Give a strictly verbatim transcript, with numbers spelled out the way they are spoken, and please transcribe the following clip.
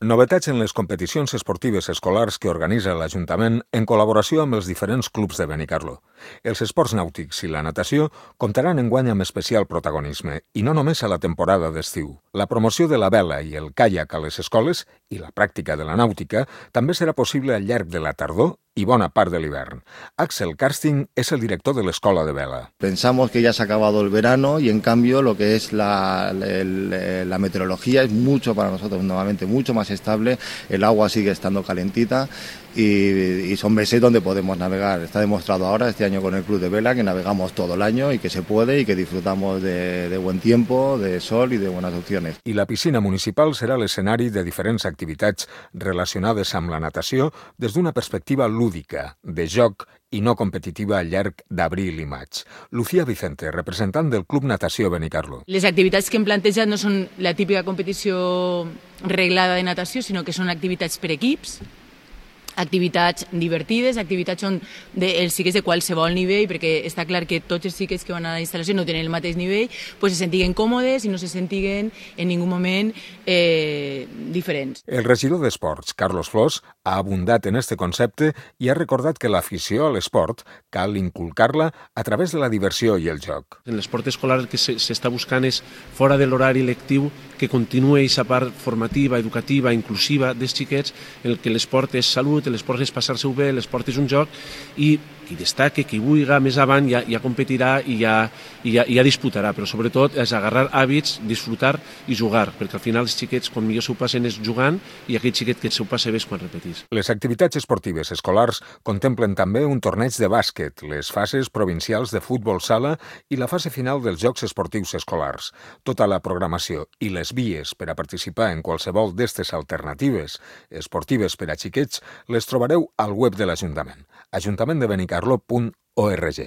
Novetats en les competicions esportives escolars que organitza l'Ajuntament en col·laboració amb els diferents clubs de Benicarló. Els esports nàutics i la natació comptaran enguany amb especial protagonisme, i no només a la temporada d'estiu. La promoció de la vela i el caiac a les escoles i la pràctica de la nàutica també serà possible al llarg de la tardor y bona part de l'hivern. Axel Karsting es el director de la Escuela de Vela. Pensamos que ya se ha acabado el verano y en cambio lo que es la, la, la meteorología es mucho para nosotros nuevamente, mucho más estable, el agua sigue estando calentita y, y son meses donde podemos navegar. Está demostrado ahora este año con el Club de Vela que navegamos todo el año y que se puede y que disfrutamos de, de buen tiempo, de sol y de buenas opciones. I la piscina municipal serà l'escenari de diferents activitats relacionades amb la natació des d'una perspectiva lúdica, de joc i no competitiva al llarg d'abril i maig. Lucía Vicente, representant del Club Natació Benicarló. Les activitats que hem plantejat no són la típica competició reglada de natació, sinó que són activitats per equips, activitats divertides, activitats on de, els xiquets de qualsevol nivell, perquè està clar que tots els xiquets que van a la instal·lació no tenen el mateix nivell, pues se sentiguen còmodes i no se sentiguen en ningú moment eh, diferents. El regidor d'Esports, Carlos Flors, ha abundat en este concepte i ha recordat que l'afició a l'esport cal inculcar-la a través de la diversió i el joc. En l'esport escolar el que s'està buscant és, fora de l'horari lectiu, que continuï aquesta part formativa, educativa, inclusiva dels xiquets, en què l'esport és salut, l'esport és passar-se-ho bé, l'esport és un joc, i qui destaque, qui vulgui més avant ja, ja competirà i ja, i ja, ja disputarà, però sobretot és agarrar hàbits, disfrutar i jugar, perquè al final els xiquets quan millor s'ho passen és jugant i aquell xiquet que s'ho passa bé és quan repetís. Les activitats esportives escolars contemplen també un torneig de bàsquet, les fases provincials de futbol sala i la fase final dels Jocs Esportius Escolars. Tota la programació i les vies per a participar en qualsevol d'estes alternatives esportives per a xiquets les trobareu al web de l'Ajuntament, ajuntament de benicarló punt org.